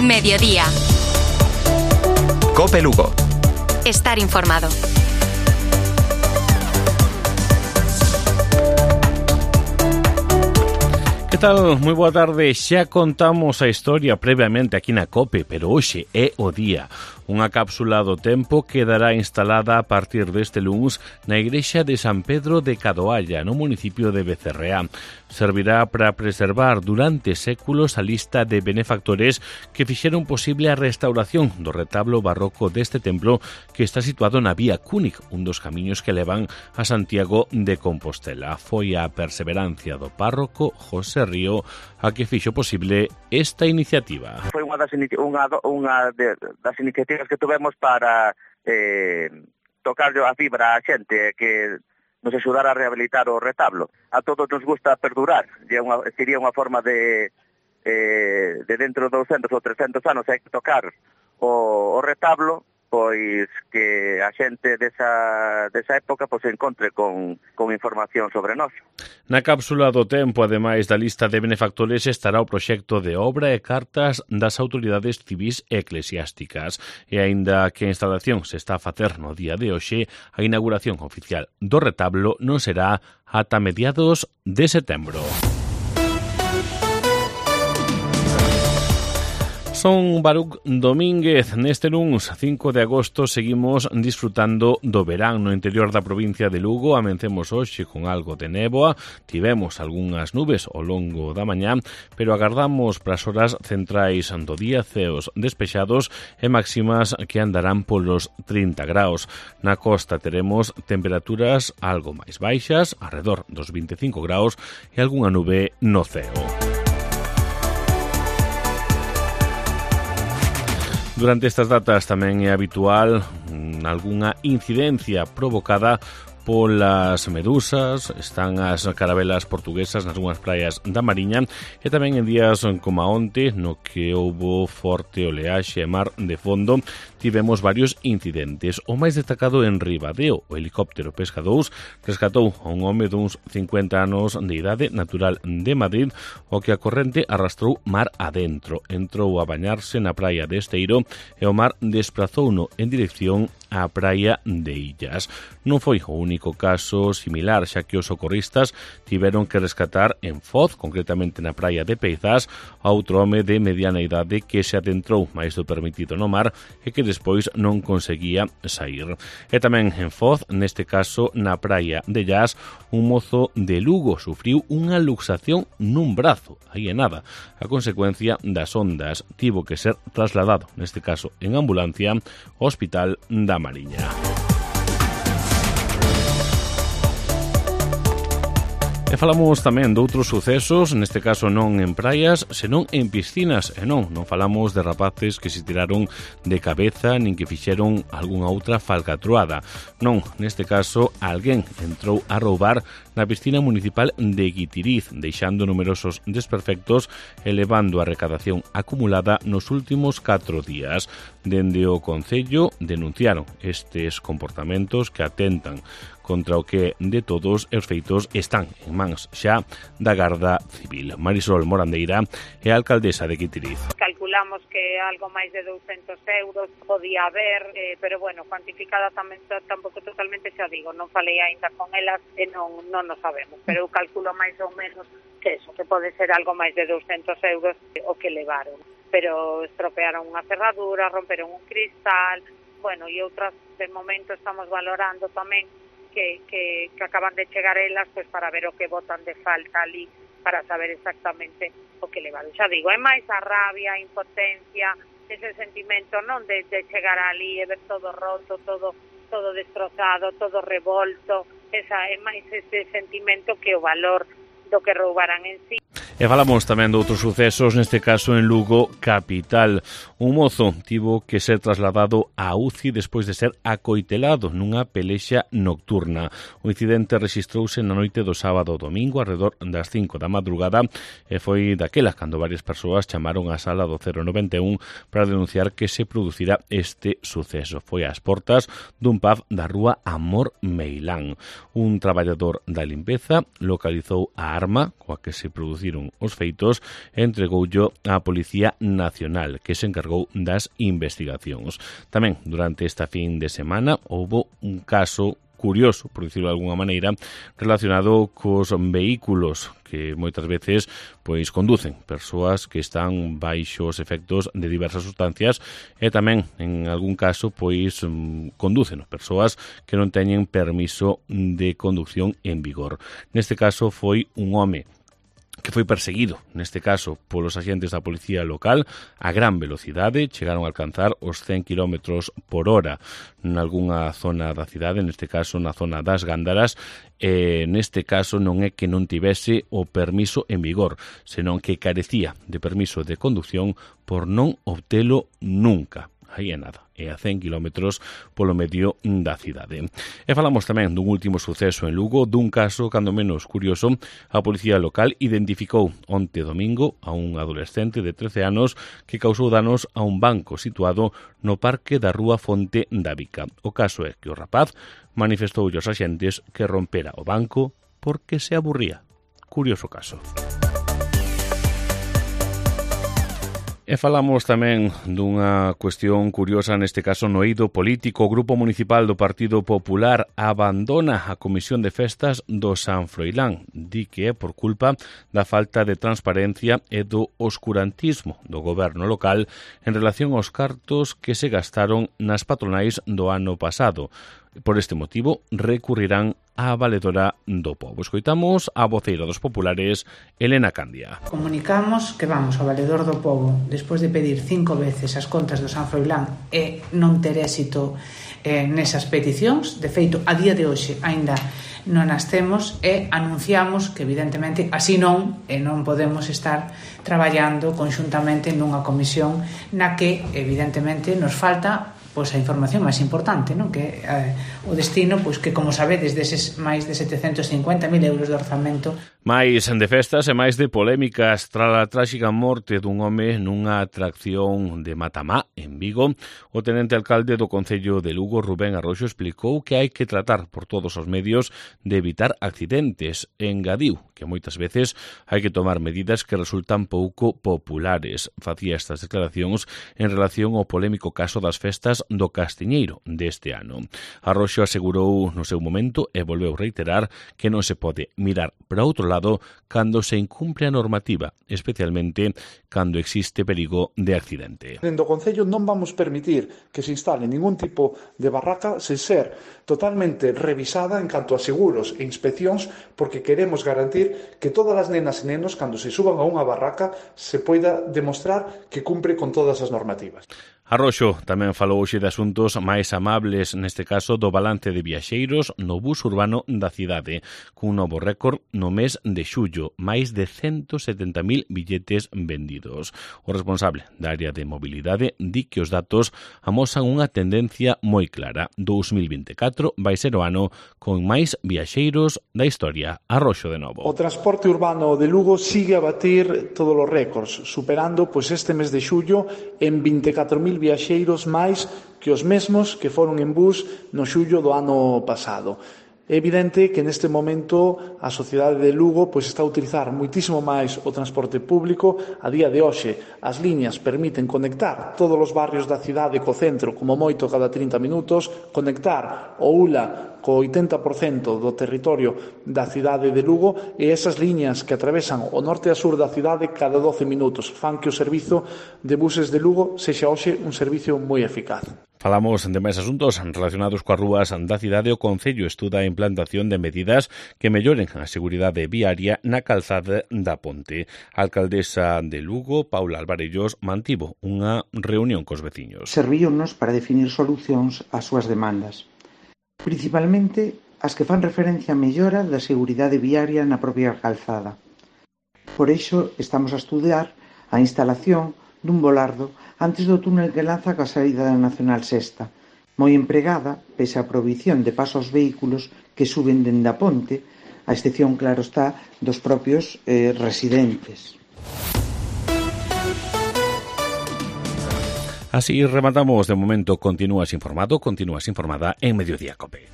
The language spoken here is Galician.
Mediodía. COPE Lugo. Estar informado. Que tal? Moi boa tarde. Xa contamos a historia previamente aquí na COPE, pero hoxe é o día. Unha cápsula do tempo quedará instalada a partir deste luns na igrexa de San Pedro de Cadoalla, no municipio de Becerreá. Servirá para preservar durante séculos a lista de benefactores que fixeron posible a restauración do retablo barroco deste templo que está situado na Vía Cúnic, un dos camiños que levan a Santiago de Compostela. Foi a perseverancia do párroco José Río a que fixo posible esta iniciativa. Foi unha das iniciativas que tuvemos para tocar a fibra a xente que nos axudar a rehabilitar o retablo. A todos nos gusta perdurar, sería unha forma de dentro de 200 ou 300 anos hai que tocar o retablo, pois que a xente desa época pois se encontre con información sobre nós. Na cápsula do tempo, ademais da lista de benefactores, estará o proxecto de obra e cartas das autoridades civís e eclesiásticas. E aínda que a instalación se está a facer no día de hoxe, a inauguración oficial do retablo non será ata mediados de setembro. Son Baruch Domínguez. Neste luns 5 de agosto seguimos disfrutando do verán no interior da provincia de Lugo. Amencemos hoxe con algo de néboa, tivemos algunhas nubes ao longo da mañá, pero agardamos para as horas centrais do día ceos despexados e máximas que andarán polos 30 graus. Na costa teremos temperaturas algo máis baixas, arredor dos 25 graus e algunha nube no ceo. Durante estas datas tamén é habitual algunha incidencia provocada polas medusas. Están as carabelas portuguesas nas algunhas praias da Mariña e tamén en días como onte, no que houbo forte oleaxe e mar de fondo, tivemos varios incidentes. O máis destacado en Ribadeo, o helicóptero Pesca 2 rescatou a un home duns 50 anos de idade, natural de Madrid, o que a corrente arrastrou mar adentro. Entrou a bañarse na praia de Esteiro e o mar desprazouno en dirección á praia de Illas. Non foi o único caso similar, xa que os socorristas tiveron que rescatar en Foz, concretamente na praia de Peizás, a outro home de mediana idade que se adentrou máis do permitido no mar e que despois non conseguía sair. E tamén en Foz, neste caso na praia de Llas, un mozo de Lugo sufriu unha luxación nun brazo, aí é nada. A consecuencia das ondas tivo que ser trasladado, neste caso en ambulancia, ao Hospital da Mariña. E falamos tamén de outros sucesos, neste caso non en praias, senón en piscinas. E non falamos de rapaces que se tiraron de cabeza nin que fixeron algunha outra falcatruada. Non, neste caso, alguén entrou a roubar na piscina municipal de Guitiriz, deixando numerosos desperfectos e levando a recadación acumulada nos últimos 4 días. Dende o Concello denunciaron estes comportamentos que atentan contra o que de todos os feitos están en mans xa da Garda Civil. Marisol Morandeira é a alcaldesa de Guitiriz. Calculamos que algo máis de 200 euros podía haber, pero bueno, cuantificada tamén tampouco totalmente, xa digo, non falei aínda con elas e non nos sabemos, pero eu calculo máis ou menos que eso, que pode ser algo máis de 200 euros o que levaron. Pero estropearon unha cerradura, romperon un cristal, bueno, e outras, de momento estamos valorando tamén que acaban de chegar elas pues para ver o que botan de falta ali, para saber exactamente o que levaron. Xa digo, é máis a rabia, a impotencia, ese sentimento non de chegar ali e ver todo roto, todo destrozado, todo revolto, é máis ese sentimento que o valor do que roubaran en sí. E falamos tamén de outros sucesos, neste caso en Lugo capital. Un mozo tivo que ser trasladado á UCI despois de ser acoitelado nunha pelexa nocturna. O incidente rexistrouse na noite do sábado ao domingo, alrededor das 5 da madrugada, e foi daquela cando varias persoas chamaron á sala do 091 para denunciar que se producira este suceso. Foi ás portas dun pub da rúa Amor Meilán. Un traballador da limpeza localizou a arma coa que se produciron ben os feitos e entregoullo á Policía Nacional, que se encargou das investigacións. Tamén, durante esta fin de semana, houbo un caso curioso, por dicirlo de alguna maneira, relacionado cos vehículos que moitas veces pois conducen persoas que están baixo os efectos de diversas sustancias e tamén, en algún caso, pois conducen persoas que non teñen permiso de conducción en vigor. Neste caso foi un home que foi perseguido, neste caso, polos agentes da policía local a gran velocidade, chegaron a alcanzar os 100 km por hora nalgúna zona da cidade, neste caso na zona das Gándaras, e neste caso non é que non tivese o permiso en vigor, senón que carecía de permiso de conducción por non obtelo nunca. Aí é nada, é a 100 km polo medio da cidade. E falamos tamén dun último suceso en Lugo, dun caso, cando menos curioso. A policía local identificou onte domingo a un adolescente de 13 anos que causou danos a un banco situado no parque da Rúa Fonte da Vica. O caso é que o rapaz manifestou aos axentes que rompera o banco porque se aburría. Curioso caso. E falamos tamén dunha cuestión curiosa, neste caso no eido político. O Grupo Municipal do Partido Popular abandona a Comisión de Festas do San Froilán. Di que é por culpa da falta de transparencia e do oscurantismo do goberno local en relación aos cartos que se gastaron nas patronais do ano pasado. Por este motivo, recurrirán á Valedora do Pobo. Escoitamos a voceira dos populares, Elena Candia. Comunicamos que vamos ao Valedor do Pobo despois de pedir 5 veces as contas do San Froilán e non ter éxito nesas peticións. De feito, a día de hoxe aínda non as temos e anunciamos que evidentemente así non podemos estar traballando conxuntamente nunha comisión na que evidentemente nos falta pois a información máis importante, non? Que o destino, pois que como sabedes, deses máis de 750.000 euros de orzamento. Máis de festas e máis de polémicas tras a tráxica morte dun home nunha atracción de Matamá, en Vigo. O tenente alcalde do Concello de Lugo, Rubén Arroxo, explicou que hai que tratar por todos os medios de evitar accidentes. Engadiu que moitas veces hai que tomar medidas que resultan pouco populares. Facía estas declaracións en relación ao polémico caso das festas do Castiñeiro deste ano. Arroxo asegurou no seu momento e volveu reiterar que non se pode mirar para outro lado cando se incumpre a normativa, especialmente cando existe perigo de accidente. Dentro do Concello non vamos permitir que se instale ningún tipo de barraca sen ser totalmente revisada en canto a seguros e inspeccións, porque queremos garantir que todas as nenas e nenos, cando se suban a unha barraca, se poida demostrar que cumpre con todas as normativas. Arroxo tamén falou hoxe de asuntos máis amables, neste caso do balance de viaxeiros no bus urbano da cidade, cun novo récord no mes de xullo, máis de 170.000 billetes vendidos. O responsable da área de mobilidade di que os datos amosan unha tendencia moi clara. 2024 vai ser o ano con máis viaxeiros da historia. Arroxo de novo. O transporte urbano de Lugo sigue a batir todos os récords, superando pois este mes de xullo en 24.000 viaxeiros máis que os mesmos que foron en bus no xullo do ano pasado. É evidente que neste momento a sociedade de Lugo pois está a utilizar moitísimo máis o transporte público. A día de hoxe as liñas permiten conectar todos os barrios da cidade co centro como moito cada 30 minutos, conectar o ULA co 80% do territorio da cidade de Lugo, e esas liñas que atravesan o norte e a sur da cidade cada 12 minutos fan que o servizo de buses de Lugo sexa hoxe un servicio moi eficaz. Falamos de máis asuntos relacionados coas rúas da cidade. O Concello estuda a implantación de medidas que melloren a seguridade viaria na calzada da Ponte. A alcaldesa de Lugo, Paula Alvarellos, mantivo unha reunión cos veciños. Servíunos para definir solucións ás súas demandas, principalmente as que fan referencia a mellora da seguridade viaria na propia calzada. Por iso estamos a estudiar a instalación dun volardo antes do túnel que lanza coa saída da Nacional Sexta, moi empregada pese a prohibición de paso aos vehículos que suben dende a ponte, a excepción, claro está, dos propios residentes. Así rematamos de momento. Continúas informado, continúas informada en Mediodía COPE.